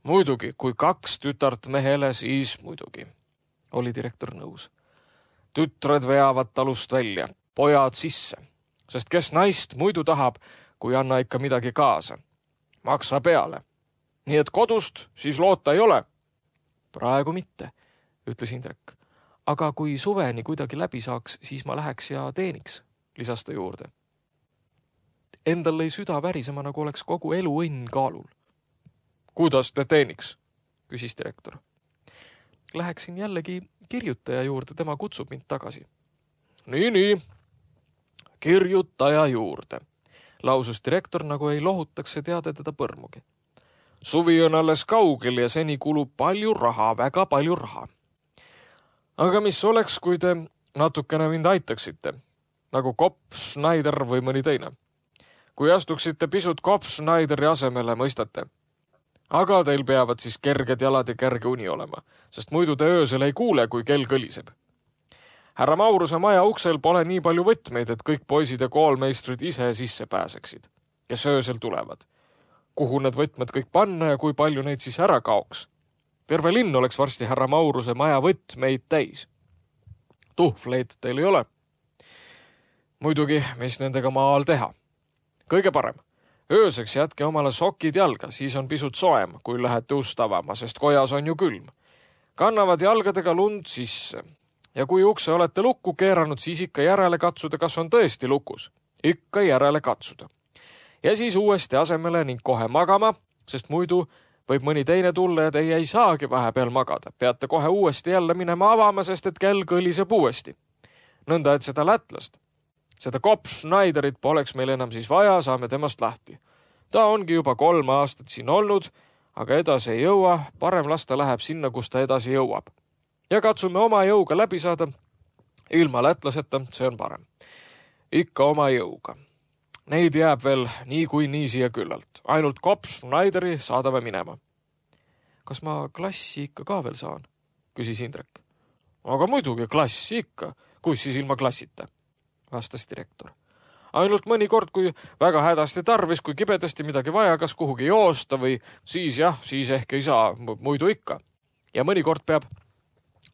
Muidugi, kui kaks tütart mehele, siis muidugi, oli direktor nõus. Tütred veavad talust välja, pojad sisse, sest kes naist muidu tahab, kui anna ikka midagi kaasa. Maksa peale. Nii et kodust siis loota ei ole. Praegu mitte, ütles Indrek. Aga kui suveni kuidagi läbi saaks, siis ma läheks ja teeniks, lisas ta juurde. Endal lõi süda värisema, nagu oleks kogu elu õnn kaalul. Kuidas te teeniks? Küsis direktor. Läheksin jällegi kirjutaja juurde, tema kutsub mind tagasi. Nii, nii. Kirjutaja juurde, lausus direktor, nagu ei lohutaks see teade teda põrmugi. Suvi on alles kaugel ja seni kulub palju raha, väga palju raha. Aga mis oleks, kui te natukene mind aitaksite, nagu Kopp, Schneider või mõni teine? kui astuksite pisut Kopp-Schneideri asemele, mõistate. Aga teil peavad siis kerged jalad ja kerge uni olema, sest muidu te öösel ei kuule, kui kell kõliseb. Härra Mauruse maja uksel pole nii palju võtmeid, et kõik poisid ja koolmeistrid ise sisse pääseksid, kes öösel tulevad. Kuhu need võtmed kõik panna ja kui palju neid siis ära kaoks? Terve linn oleks varsti härra Mauruse maja võtmeid täis. Tuhvleid teil ei ole. Muidugi, mis nendega maal teha? Kõige parem. Ööseks jätke omale sokid jalga, siis on pisut soem, kui lähete ust avama, sest kojas on ju külm. Kannavad jalgadega lund sisse. Ja kui ukse olete lukku keeranud, siis ikka järele katsuda, kas on tõesti lukus. Ikka järele katsuda. Ja siis uuesti asemele ning kohe magama, sest muidu võib mõni teine tulla ja teie ei saagi vahepeal magada. Peate kohe uuesti jälle minema avama, sest et kell kõliseb uuesti. Nõnda, et seda lätlast, seda Kopp-Schneiderit poleks meil enam siis vaja, saame temast lahti. Ta ongi juba kolm aastat siin olnud, aga edasi ei jõua, parem lasta läheb sinna, kus ta edasi jõuab. Ja katsume oma jõuga läbi saada. Ilma lätlaseta, see on parem. Ikka oma jõuga. Neid jääb veel nii kui nii siia küllalt. Ainult Kopp-Schneideri saadame minema. Kas ma klassi ikka ka veel saan? Küsis Indrek. Aga muidugi klassi ikka. Kus siis ilma klassita? Vastas direktor. Ainult mõni kord, kui väga hädasti tarvis, kui kibedasti midagi vaja, kas kuhugi joosta või siis jah, siis ehk ei saa, muidu ikka. Ja mõni kord peab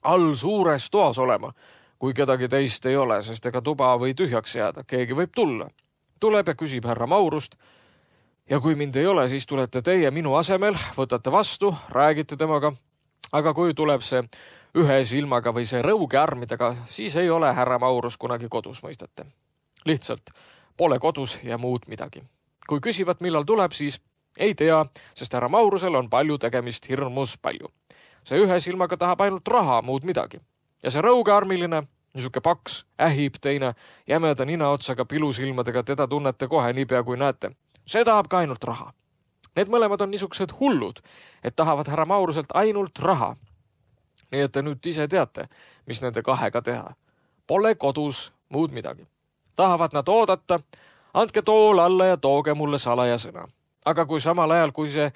all suures toas olema, kui kedagi teist ei ole, sest ega tuba või tühjaks jääda. Keegi võib tulla. Tuleb ja küsib härra Maurust. Ja kui mind ei ole, siis tulete teie minu asemel, võtate vastu, räägite temaga. Aga kui tuleb see ühe silmaga või see rõuge armidega, siis ei ole härra Maurus kunagi kodus, mõistate. Lihtsalt pole kodus ja muud midagi. Kui küsivad, millal tuleb, siis ei tea, sest härra Maurusel on palju tegemist, hirmus palju. See ühe silmaga tahab ainult raha, muud midagi. Ja see rõuge armiline, niisuke paks, ähib teine, jämeda ninaotsaga pilusilmadega, teda tunnete kohe niipea kui näete. See tahab ka ainult raha. Need mõlemad on niisugused hullud, et tahavad härra Mauruselt ainult raha. Nii et te nüüd ise teate, mis nende kahega teha. Pole kodus muud midagi. Tahavad nad oodata, andke tool alla ja tooge mulle salaja sõna. Aga kui samal ajal, kui see,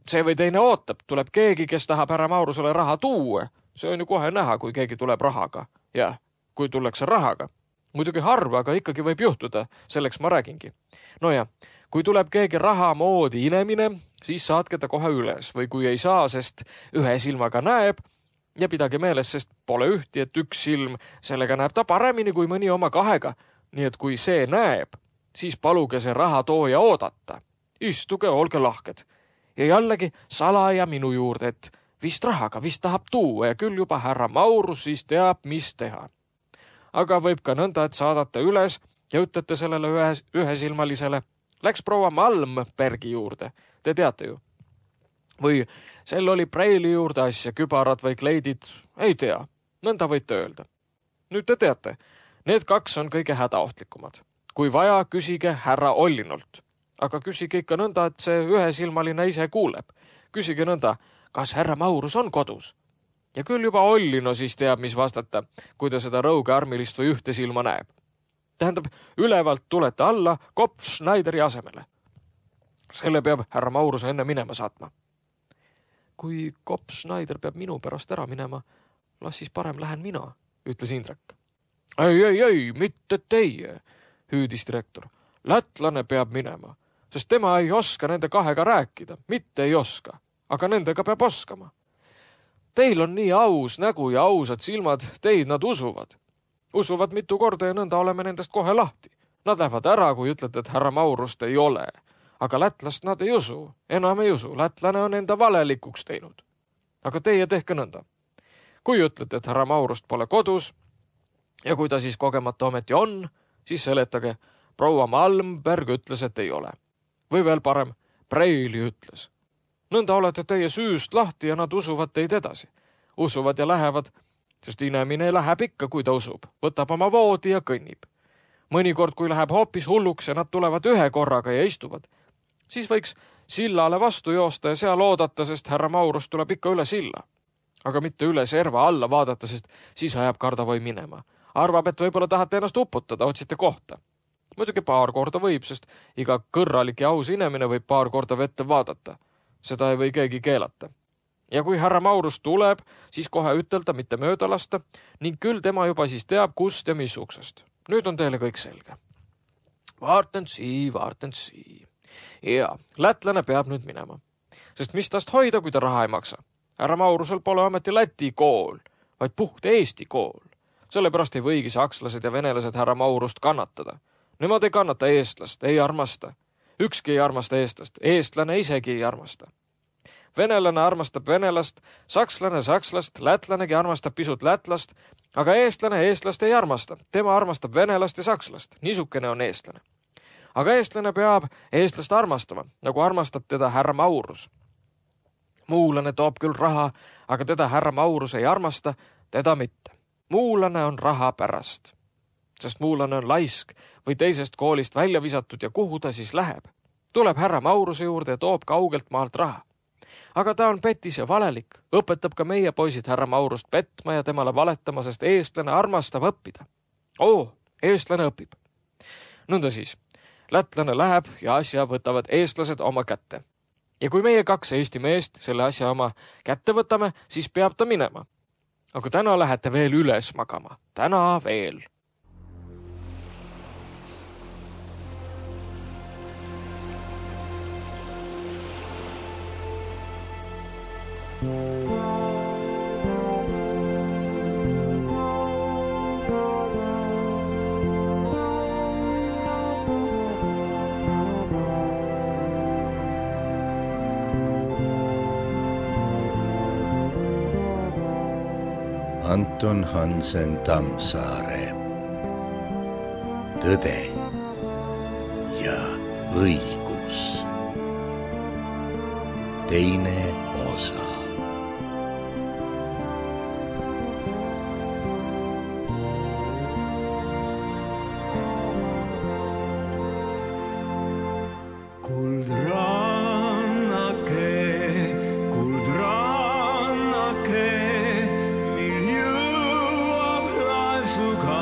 see või teine ootab, tuleb keegi, kes tahab härra Maurusele raha tuua, see on ju kohe näha, kui keegi tuleb rahaga. Ja kui tullakse rahaga. Muidugi harva, aga ikkagi võib juhtuda, selleks ma räägingi. No ja, kui tuleb keegi raha moodi inemine, siis saatke ta kohe üles või kui ei saa, sest ühe silmaga näeb, ja pidage meeles, sest pole ühti, et üks silm, sellega näeb ta paremini kui mõni oma kahega. Nii et kui see näeb, siis paluge see raha tooja oodata. Istuge, olge lahked. Ja jällegi salaja minu juurde, et vist rahaga, vist tahab tuua ja küll juba härra Maurus siis teab, mis teha. Aga võib ka nõnda, et saadate üles ja ütlete sellele ühe, ühesilmalisele. Läks proua Malmbergi juurde, te teate ju. Või sel oli preili juurde asja, kübarad või kleidid, ei tea, nõnda võite öelda. Nüüd te teate, need kaks on kõige hädaohtlikumad. Kui vaja, küsige härra Ollinult. Aga küsige ikka nõnda, et see ühesilmaline ise kuuleb. Küsige nõnda, kas härra Maurus on kodus? Ja küll juba Ollino siis teab, mis vastata, kui ta seda rõuge armilist või ühte silma näeb. Tähendab, ülevalt tulete alla Kopp-Schneideri asemele. Selle peab härra Maurus enne minema saatma. Kui Kopp-Schneider peab minu pärast ära minema, las siis parem lähen mina, ütles Indrek. Ei, ei, ei, mitte teie, hüüdis direktor. Lätlane peab minema, sest tema ei oska nende kahega rääkida, mitte ei oska, aga nendega peab oskama. Teil on nii aus nägu ja ausad silmad, teid nad usuvad. Usuvad mitu korda ja nõnda oleme nendest kohe lahti. Nad lähevad ära, kui ütlete, et härra Maurust ei ole. Aga lätlast nad ei usu, enam ei usu. Lätlane on enda valelikuks teinud. Aga teie tehke nõnda. Kui ütlete, et härra Maurust pole kodus ja kui ta siis kogemata ometi on, siis seletage, proua Malmberg ütles, et ei ole. Või veel parem, Preili ütles. Nõnda olete teie süüst lahti ja nad usuvad teid edasi. Usuvad ja lähevad, sest inemine läheb ikka, kui ta usub. Võtab oma voodi ja kõnnib. Mõnikord, kui läheb hoopis hulluks ja nad tulevad ühe korraga ja istuvad, siis võiks sillale vastu joosta ja seal oodata, sest härra Maurus tuleb ikka üle silla. Aga mitte üle serva alla vaadata, sest siis ajab kardavoi minema. Arvab, et võib-olla tahate ennast uputada, otsite kohta. Muidugi paar korda võib, sest iga kõrralik ja aus inimene võib paar korda vette vaadata. Seda ei või keegi keelata. Ja kui härra Maurus tuleb, siis kohe ütelda, mitte mööda lasta ning küll tema juba siis teab, kust ja missuksest. Nüüd on teile kõik selge. Vaarten sii, vaarten sii. Ja, lätlane peab nüüd minema. Sest mis tast hoida, kui ta raha ei maksa? Härra Maurusel pole ameti Läti kool, vaid puht Eesti kool. Sellepärast ei võigi sakslased ja venelased härra Maurust kannatada. Nemad ei kannata eestlast, ei armasta. Ükski ei armasta eestlast, eestlane isegi ei armasta. Venelane armastab venelast, sakslane sakslast, lätlanegi armastab pisut lätlast, aga eestlane eestlast ei armasta. Tema armastab venelast ja sakslast. Niisukene on eestlane. Aga eestlane peab eestlast armastama, nagu armastab teda härra Maurus. Muulane toob küll raha, aga teda härra Maurus ei armasta, teda mitte. Muulane on raha pärast. Sest muulane on laisk või teisest koolist välja visatud ja kuhu ta siis läheb. Tuleb härra Mauruse juurde ja toob kaugelt maalt raha. Aga ta on petis ja valelik, õpetab ka meie poisid härra Maurust petma ja temale valetama, sest eestlane armastab õppida. Oo, eestlane õpib. Nõnda siis, lätlane läheb ja asja võtavad eestlased oma kätte. Ja kui meie kaks Eesti meest selle asja oma kätte võtame, siis peab ta minema. Aga täna lähete veel üles magama. Täna veel. Anton Hansen Tammsaare. Tõde ja õigus. Teine osa. Suka